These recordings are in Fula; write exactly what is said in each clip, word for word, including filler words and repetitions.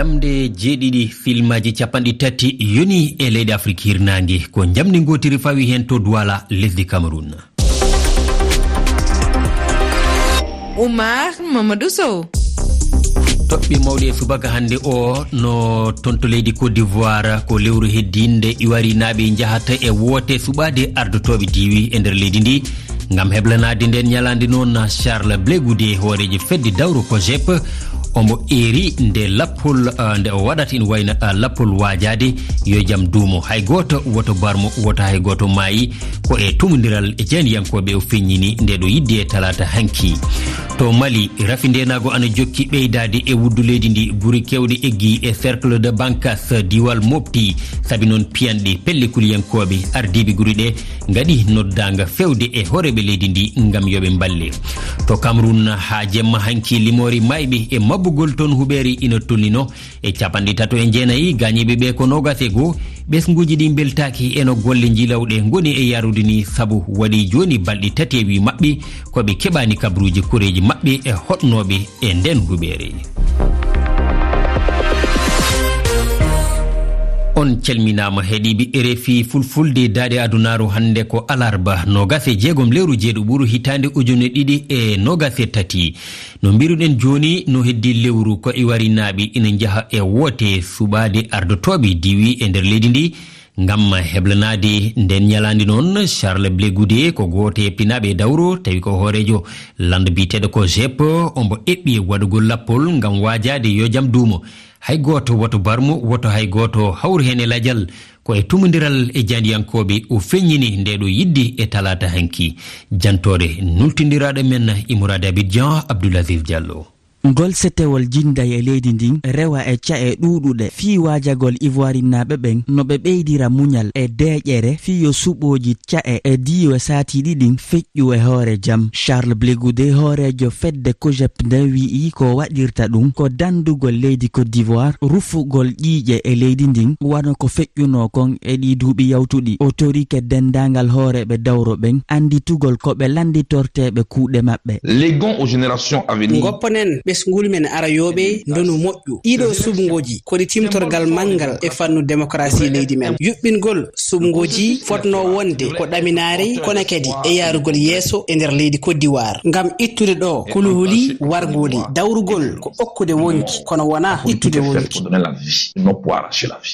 Nde jeeɗiɗi filmaaji capanɗe tati yoni e leyɗe Afrik hirnaange, ko njamndi ngootiri fawi heen to Douala, lesdi Cameroun. Oumar Mamadou Sow. Toɓɓe mawɗe e subaka hannde o no toon to leydi Côte d'Ivoire, ko lewru heddiinde iwarinaaɓe njahata e woote suɓaade ardotooɓe diiwi e nder leydi ndi. Ngam heblanaade ndeen ñalaande noon, Charles Blé Goudé, hooreejo fedde dawro COJEP, omo eeri nde lappol, ah, nde o waɗata ina wayna, ah, lappol waajaade yo jam duumo. Hay gooto woto barmo, woto hay gooto maayi. Ko e tumondiral e jaayndiyankooɓe o feññini nde ɗo yidde e talaata hanki. To Mali, rafi ndeenaago ana jokki ɓeydaade e wuddu leydi ndi. Gure keewɗe eggi e Cercle de Bankas, Diwal Mopti, sabi noon piyanɗe pelle kuliyankooɓe. Ardiiɓe gure ɗe ngaɗi noddaanga feewde e hooreeɓe leydi ndi ngam yo ɓe mballe. To Cameroun, haa jemma hanki, limoore maayɓe e mabbugol toon huɓeere ina tolnino e capanɗe tato e jeenayi, gaañiiɓe ɓe ko noogas e goo. Ɓesnguuji ɗi mbeltaaki e no golle njilawɗe ngoni e yarude ni, sabu waɗi jooni balɗe tati e wii maɓɓe ko ɓe keɓaani kabruuji koreeji maɓɓe e hoɗnooɓe e ndeen huɓeere. On calminaama, heɗiiɓe R F I Fulfulde. Daaɗe adunaaru hannde ko alarba, noogas e jeegom lewru jeeɗiɓuru, hitaande ujune ɗiɗi e noogas e tati. No mbiruɗen jooni, no heddii lewru, ko iwarinaaɓe ina njaha e woote suɓaade ardotooɓe diiwi e nder leydi ndi. Ngam heblanaade ndeen ñalaande noon, Charles Blé Goudé ko gooto e pinaaɓe e dawro, tawi ko hooreejo lannda biyeteeɗo COJEP, omo eɓɓi e waɗugol lappol ngam waajaade yo jam duumo. Hay gooto woto barmo, woto hay gooto hawru heen e lajal. Ko e tumondiral e jaayndiyankooɓe o feññini nde ɗo yidde e talaata hanki. Jantoore nultindiraaɗo men Imourade Abidjan, Abdoul Aziz Diallo. Ngol setewol jinday e leydi ndin rewa e ca'e ɗuuɗuɗe fii waajagol ivoirinnaaɓe ɓen no ɓe ɓeydira muñal e deeƴere fii yo suɓooji ca'e e diiwe saatiiɗi ɗin feƴƴu e hoore jam. Charles Blé Goudé, hooreejo fedde COJEP nden, wi'i ko waɗirta ɗum ko dandugol leydi Côte d'Ivoire, rufugol ƴiiƴe e leydi ndin, wano ko feƴƴunoo kon e ɗii duuɓi yawtuɗi. O torike denndaangal hooreeɓe dawro ɓen annditugol ko ɓe lannditorteeɓe kuuɗe maɓɓe. Léguons aux générations à venir. Ngopponen ɓesnguli men arayooɓe ndonu moƴƴu. Ɗiɗo suɓngooji ko ɗi timtorgal manngal e fannu demokarasi leydi men. Yuɓɓingol suɓngooji fotnoo wonde ko ɗaminaare, kono kadi e yaarugol yeeso e nder leydi Côte d'Ivoire. Ngam ittude ɗo kuluhuli warngooli, dawrugol ko okkude wonki, kono wonaa ittude wonki.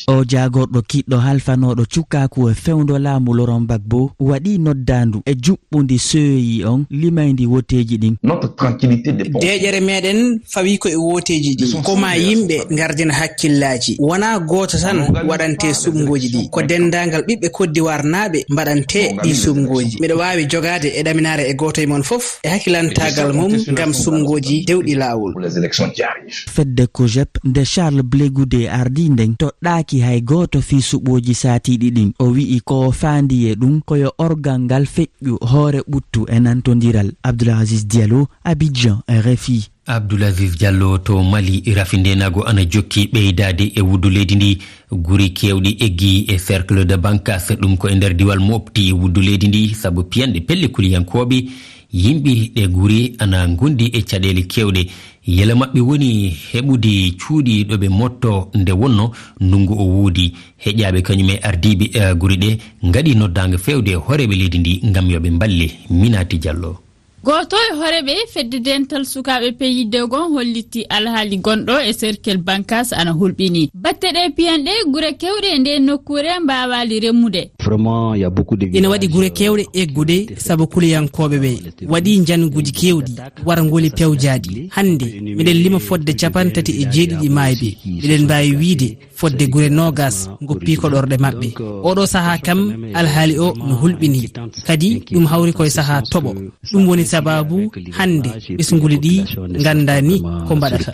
O jaagorɗo kiɗɗo halfanooɗo cukaaku e fewndo laamu Laurent Gbagbo waɗi noddaandu e juɓɓundi C E I on limayndi woteeji ɗin. Notre tranquillité dépend. Deeƴere meɗen fawi ko e woteeji ɗi. Ko ma yimɓe ngardina hakkillaaji. Wonaa gooto tan waɗante suɓngooji ɗi. Ko denndaangal ɓiɓɓe Côte d'Ivoire naaɓe mbaɗante ɗi suɓngooji. Miɗo waawi jogaade e ɗaminaare e gooto e mon fof e hakkilantaagal mum ngam suɓngooji dewɗi laawol. Pour les élections qui arrivent. Fedde COJEP, nde Charles Blé Goudé ardii nden, toɗɗaaki hay gooto fii suɓooji saatiiɗi ɗin. O wi'i ko o faandi e ɗum ko yo orgal ngal feƴƴu hoore ɓuttu e nantondiral. Abdoul Aziz Diallo, Abidjan, R F I. Abdoul Aziz Diallo. To Mali, rafi ndeenaagu ana jokki ɓeydaade e wuddu leydi ndi. Guri keewɗi eggi e Cercle de Bankas, ɗum ko e nder diwal Mopti, wuddu leydi ndi, sabu piyanɗe pelle kuliyankooɓe. Yimɓe ɗe guri ana ngondi e caɗeele keewɗe. Yela maɓɓe woni heɓude cuuɗi ɗo ɓe motto nde wonno ndungu o woodi. Heƴaaɓe kañum e ardiiɓe, eh, guri ɗe ngaɗi noddaango feewde e hooreeɓe leydi ndi ngam yo ɓe mballe. Minati Diallo. Gooto e hooreeɓe fedde dental sukaaɓe P I D gon holliti alhaali gonɗo e Cercle Bankas ana hulɓini. Batte ɗe piyanɗe gure keewɗe e nde nokkuure mbaawaali remmude. Vraiment, il y a beaucoup de Ina waɗi gure keewɗe eggude sabu kuliyankooɓe ɓe waɗi njannguuji keewɗi, warngoli pewjaaɗi. Hannde, miɗen lima fodde capanɗe tati e jeeɗiɗi maayɓe. Miɗen mbaawi wiide fodde gure noogas ngoppi koɗorɗe maɓɓe. Oɗo sahaa kam, alhaali o no hulɓini. Kadi, ɗum hawri koye sahaa toɓo. Ɗum woni sabaabu hannde ɓesnguli ɗi nganndaa ni ko mbaɗata.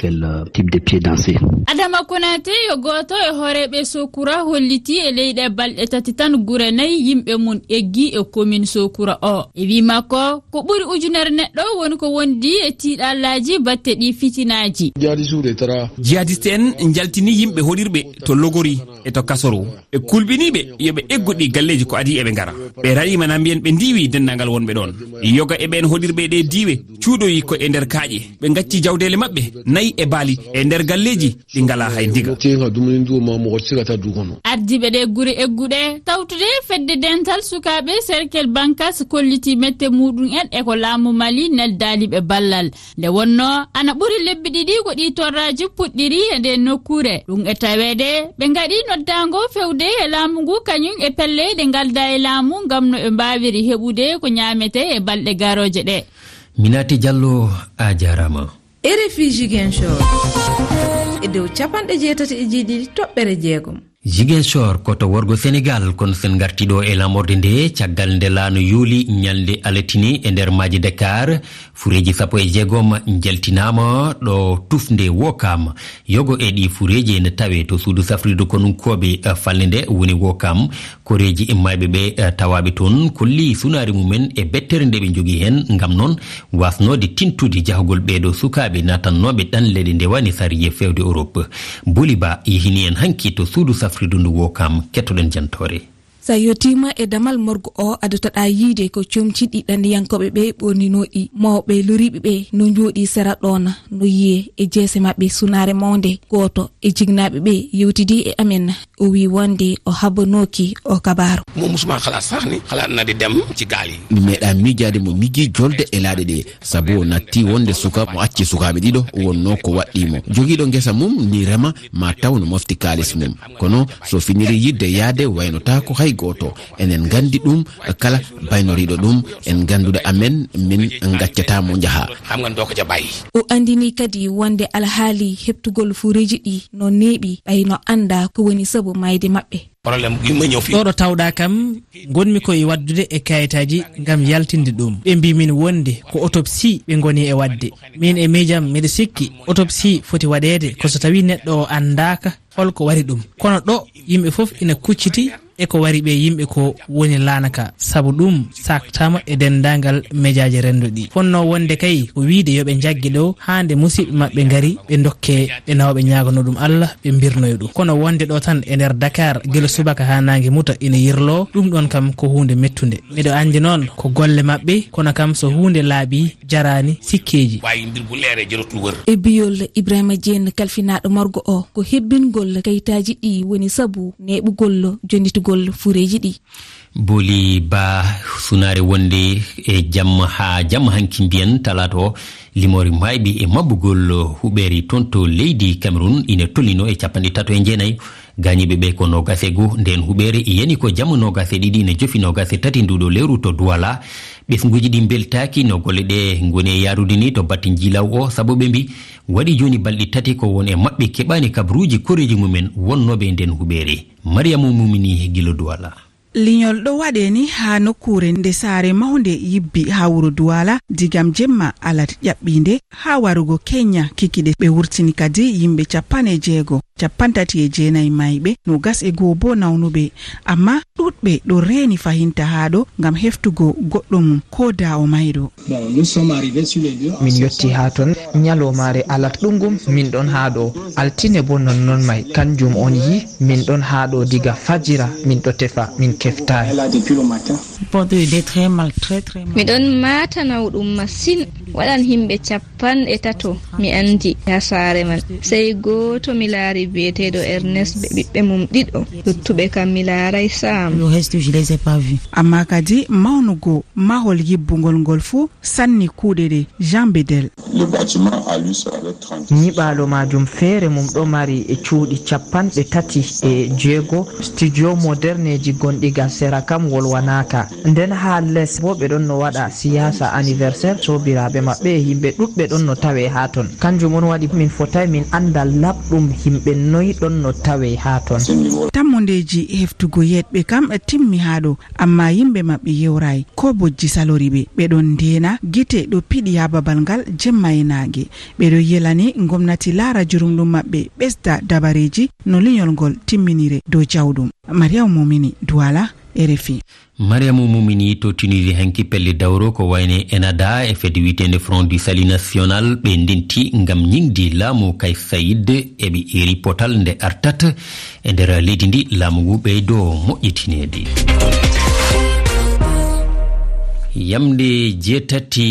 Adama Konaté yo gooto e hooreeɓe Sokura holliti e leyɗe balɗe tati tan gure nayi yimɓe mum eggi e commune Sokura o. E wii makko, ko ɓuri ujunere neɗɗo woni ko wondi e tiiɗallaaji batte ɗi fitinaaji. Jihadiste en njaltini yimɓe hoɗirɓe to Logori e to Kasoro. Ɓe kulɓiniiɓe yo ɓe eggu ɗi galleeji ko adii eɓe ngara. Ɓe raɗiima na mbiyen ɓe ndiiwi denndaangal wonɓe ɗoon. Yoga e ɓeen hoɗirɓe e ɗee diiwe cuuɗoyi ko e nder kaaƴe. Ɓe ngacci jawdeele maɓɓe nayi e baali e nder galleeji ɗi ngalaa hay ndiga. Ardiiɓe ɗee gure egguɗe tawtude fedde dental sukaaɓe Cercle Bankas kolliti mette muɗum en e ko laamu Mali neldaali ɓe ballal. Nde wonnoo ana ɓuri lebbi ɗiɗi ko ɗii torraaji puɗɗiri e ndee nokkuure. Ɗum e taweede ɓe ngaɗi noddaango fewde e laamu ngu kañum e pelle ɗe ngalda e laamu ngam no ɓe mbaawiri heɓude ko ñaametee e balɗe garooje ɗe. Minati Diallo, a jaaraama. R F I Ziguinchor e dow capanɗe jeetati e jeeɗiɗi toɓɓere jeegom. Ziguinchor ko to worgo Senegal, kono sen ngarti ɗo e lamorde nde caggal nde laano yooli ñalnde alatine e nder maaje Dakar, fureeji sappo e jeegom njaltinaama ɗo tufnde Wokam. Yogo e ɗi fureeji ene tawe to suudu safrirdu konunkooɓe, eh, falnde nde woni Wokam. Koreeji e mayɓe ɓe, eh, tawaaɓe toon kolli sunaare mumen e bettere nde ɓe njogii heen. Ngam noon, wasnoode tintude jahgol ɓeeɗo sukaaɓe naatannooɓe ɗanleɗe nde wani sariya fewde Europe. Boli Ba yehini en hanki to suudu safrirdu ndu Wokam, kettoɗen jantoore. Sa yottiima e damal morgo o, adotoɗaa yiide ko comci ɗi ɗanniyankooɓe ɓe ɓorninooɗi, mawɓe loriiɓe ɓe no njooɗii sera ɗoon, no yiyee e jeese maɓɓe sunaare mawnde. Gooto e jignaaɓe ɓe yewtidii e amen, o wii wonde o habbanooki o kabaaru. Mo musuma xalaat sax ni xalaat na di dem ci gaal yi. Mi meeɗaa miijaade mo miji jolde e laaɗe ɗe, sabu o natti wonde suka mo acci sukaaɓe ɗiɗo wonnoo ko waɗɗii mo. Jogiiɗo ngesa mum ni rema ma taw no mofti kaalis mum. Kono so finiri yidde yaade waynotaako hay gooto. Enen nganndi ɗum, kala baynoriiɗo ɗum, en ngannduɗo amen, min ngaccataa mo njaha. Xam nga doo ko ca bàyyi. O anndini kadi wonde alhaali heɓtugol fureeji ɗi no neeɓi, ɓay no annda ko woni sabu mayde maɓɓe. Problème bi ma ñëw fii. Ɗo ɗo tawɗaa kam, ngonmi ko e waɗdude e kayitaaji ngam yaltinde ɗum. Ɓe mbii min wonde ko autopsie ɓe ngoni e waɗde. Min e miijam miɗo sikki autopsie foti waɗeede ko so tawii neɗɗo o anndaaka holko wari ɗum. Kono ɗo yimɓe fof ina kucciti e ko wari ɓe yimɓe ko woni laana ka, sabu ɗum saaktaama e denndaangal mejaaji renndo ɗi. Fotnoo wonde kay ko wiyde yo ɓe njagge ɗo haa nde musiɓɓe maɓɓe ngari, ɓe ndokke ɓe nawa ɓe ñaaganoo ɗum Allah, ɓe mbirnoya ɗum. Kono wonde ɗo tan e nder Dakar, gila subaka haa naange muta ina yirloo, ɗum ɗoon kam ko huunde mettunde. Miɗo anndi noon ko golle maɓɓe, kono kam so huunde laaɓii, jaraani sikkeeji. Waawi mbir bu leeree jaratul wër. E biyol Ibrahima Dieng, kalfinaaɗo morgo o, ko hebbingol kayitaaji ɗi woni sabu neeɓugol jonnitugol fureeji ɗi. Boli Ba, sunaare wonde e jamma haa jamma hanki mbiyen talaata o, limoore maayɓe e mabbugol huɓeere toon to leydi Cameroun ina tolnino e capanɗe tato e jeenayi. Gaañiiɓe ɓe ko noogas e goo. Ndeen huɓeere yani ko jamma noogas e ɗiɗi ina jofi noogas e tati nduɗo lewru to Douala. Ɓesnguuji ɗi mbeltaaki no golle ɗe ngoni e yaarude ni to batte njiilaw o, sabu ɓe mbi waɗi jooni balɗe tati ko won e maɓɓe keɓaani kabaruuji koreeji mumen wonnooɓe e ndeen huɓeere. Mariama Mumini gila Douala. Leñol ɗo waɗee ni haa nokkuure nde saare mawnde yibbi haa wuro Duwaala, digam jemma alat ƴaɓɓiinde haa warugo Kenya kikiɗe. Ɓe wurtini kadi yimɓe capanɗe jeego, capanɗe tati e jeenayi mayɓe, noogas e goo boo nawnuɓe. Ammaa ɗuuɗɓe ɗo reeni fahinta haa ɗo ngam heftugo goɗɗo mum, ko da o mayɗo. Bon, nous sommes arrivés sur les lieux. Min yotti haa ton ñalawmaare alat ɗuggum, min ɗon haa ɗo. Altine bo non non may, kanjum on yi, min ɗon haa ɗo diga fajira, min ɗo tefa, min keftaay. Elle a depuis le matin. Porte de très mal, très, très mal. Miɗon maata nawɗum masin, waɗan himɓe capanɗe tato, mi andi, haa saare man. Sey gooto mi laari bi'eteeɗo Ernest be ɓiɓɓe mum ɗiɗo, luttuɓe kam mi laaray sam. Le reste, je les ai pas vus. Ammaa kadi mawnugo mahol yibbungol ngol fuu sanni kuuɗe ɗe. Jean Bedel. Le bâtiment à lui serait tranquille. Nyiɓaalo maajum feere mum ɗo mari e cuuɗi capanɗe tati e jeego, studio moderneeji gonɗi gal sera kam wolwanaaka. Nden haa les boo ɓe ɗon no waɗa siyaasa anniversaire soobiraaɓe maɓɓe e yimɓe ɗuɗɓe ɗon no tawee haa ton. Kanjum on waɗi min fotaay min annda laɓɗum yimɓe noy ɗon no tawee haa ton. Tammundeeji heftugo yeeɗɓe kam timmi haa ɗo, ammaa yimɓe maɓɓe yewraay. Ko bojji salori ɓe, ɓe ɗon ndeena, gite ɗo piɗi haa babal ngal jemma e naange. Ɓe ɗo yelani ngomnati laara jurumɗum maɓɓe, ɓesda dabareeji no leñol ngol timminire dow jawɗum. Mariam Momini, Duwala, R F I. Mariamu Mumini to Tunisie hanki pelle dawro ko wayne Enada e fedde wiyeteende Front du Salut National ɓe ndenti ngam ñiŋdi laamu Kais Saied eɓe iri potal nde artat e nder leydi ndi laamu ngu ɓeydo moƴƴitineede. Yamnde jeetati